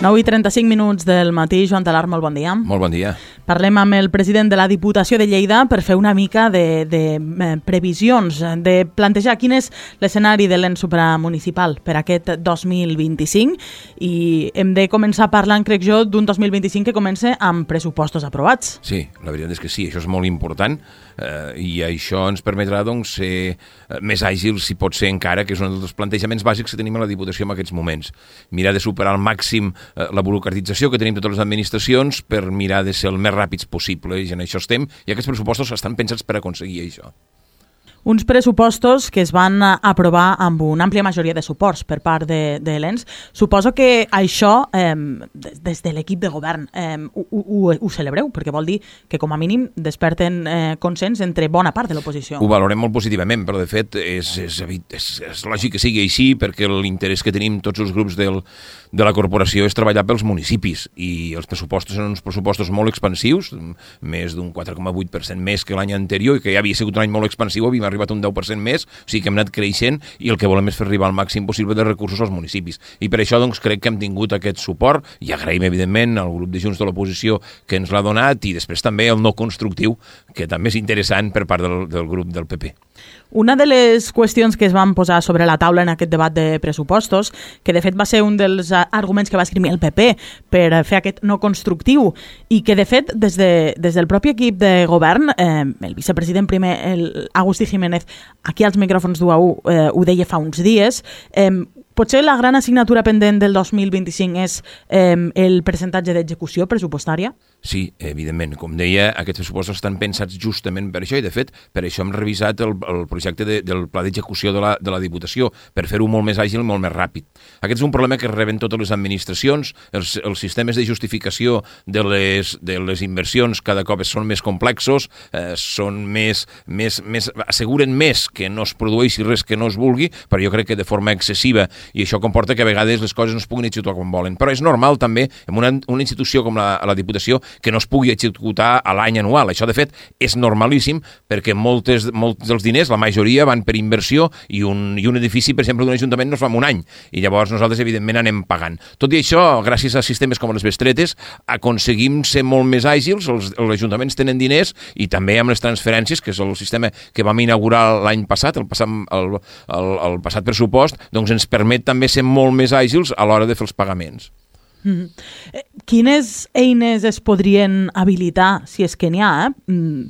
9:35 del matí. Joan Talar, molt bon dia. Molt bon dia. Parlem amb el president de la Diputació de Lleida per fer una mica de previsions, de plantejar quin és l'escenari de l'ens supramunicipal per aquest 2025, i hem de començar parlant, crec jo, d'un 2025 que comença amb pressupostos aprovats. Sí, la veritat és que sí, això és molt important, i això ens permetrà doncs, ser més àgils, si pot ser encara, que és un dels plantejaments bàsics que tenim a la Diputació en aquests moments. Mirar de superar al màxim la burocratització que tenim totes les administracions per mirar de ser el més ràpids possible, i en això estem, i aquests pressupostos estan pensats per aconseguir això. Uns pressupostos que es van aprovar amb una àmplia majoria de suports per part de l'ens. Suposo que això, des de l'equip de govern, ho celebreu, perquè vol dir que com a mínim desperten consens entre bona part de l'oposició. Ho valorem molt positivament, però de fet és lògic que sigui així, perquè l'interès que tenim tots els grups de la corporació és treballar pels municipis, i els pressupostos són uns pressupostos molt expansius, més d'un 4,8% més que l'any anterior, i que ja havia sigut un any molt expansiu, havíem arribat a un 10% més, o sigui que hem anat creixent, i el que volem és fer arribar al màxim possible de recursos als municipis. I per això doncs, crec que hem tingut aquest suport, i agraïm evidentment al grup de Junts de l'oposició que ens l'ha donat, i després també el no constructiu, que també és interessant per part del grup del PP. Una de les qüestions que es van posar sobre la taula en aquest debat de pressupostos, que de fet va ser un dels arguments que va escriure el PP per fer aquest no constructiu, i que de fet des del propi equip de govern, el vicepresident primer, Agustí Jiménez, aquí als micròfons d'UAU ho deia fa uns dies, potser la gran assignatura pendent del 2025 és el percentatge d'execució pressupostària? Sí, evidentment. Com deia, aquests pressupostos estan pensats justament per això, i de fet per això hem revisat el projecte del pla d'execució de la Diputació, per fer-ho molt més àgil i molt més ràpid. Aquest és un problema que reben totes les administracions. Els sistemes de justificació de les inversions cada cop són més complexos, asseguren més que no es produeixi res que no es vulgui, però jo crec que de forma excessiva, i això comporta que a vegades les coses no es puguin executar com volen. Però és normal també, en una institució com la Diputació, que no es pugui executar a l'any anual. Això, de fet, és normalíssim, perquè molts dels diners, la majoria, van per inversió, i un edifici, per exemple, d'un ajuntament no es fa en un any, i llavors nosaltres, evidentment, anem pagant. Tot i això, gràcies a sistemes com les bestretes, aconseguim ser molt més àgils, els ajuntaments tenen diners, i també amb les transferències, que és el sistema que vam inaugurar l'any passat, el passat pressupost, doncs ens permet també ser molt més àgils a l'hora de fer els pagaments. Quines eines es podrien habilitar, si és que n'hi ha,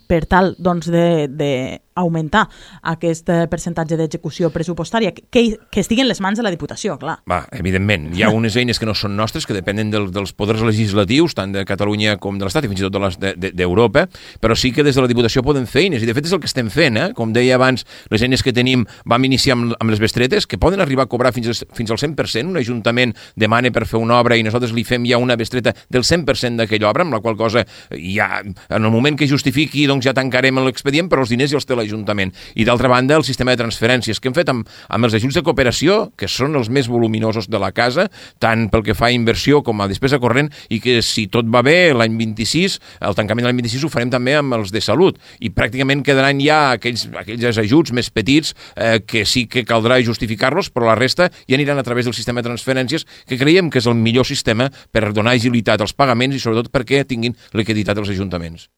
per tal de augmentar aquest percentatge d'execució pressupostària, que estigui en les mans de la Diputació, clar. Evidentment, hi ha unes eines que no són nostres, que depenen dels poders legislatius, tant de Catalunya com de l'Estat, i fins i tot d'Europa, però sí que des de la Diputació poden fer eines, i de fet és el que estem fent, com deia abans, les eines que tenim, vam iniciar amb les bestretes, que poden arribar a cobrar fins al 100%, un ajuntament demana per fer una obra i nosaltres li fem ja una bestreta del 100% d'aquella obra, amb la qual cosa ja, en el moment que justifiqui, doncs ja tancarem l'expedient, però els diners ja els té l'Ajuntament. I d'altra banda, el sistema de transferències que hem fet amb els ajuts de cooperació, que són els més voluminosos de la casa, tant pel que fa a inversió com a despesa corrent, i que si tot va bé l'any 26, el tancament de l'any 26 ho farem també amb els de salut, i pràcticament quedaran ja aquells ajuts més petits que sí que caldrà justificar-los, però la resta ja aniran a través del sistema de transferències, que creiem que és el millor sistema per donar agilitat als pagaments i sobretot perquè tinguin liquiditat els ajuntaments.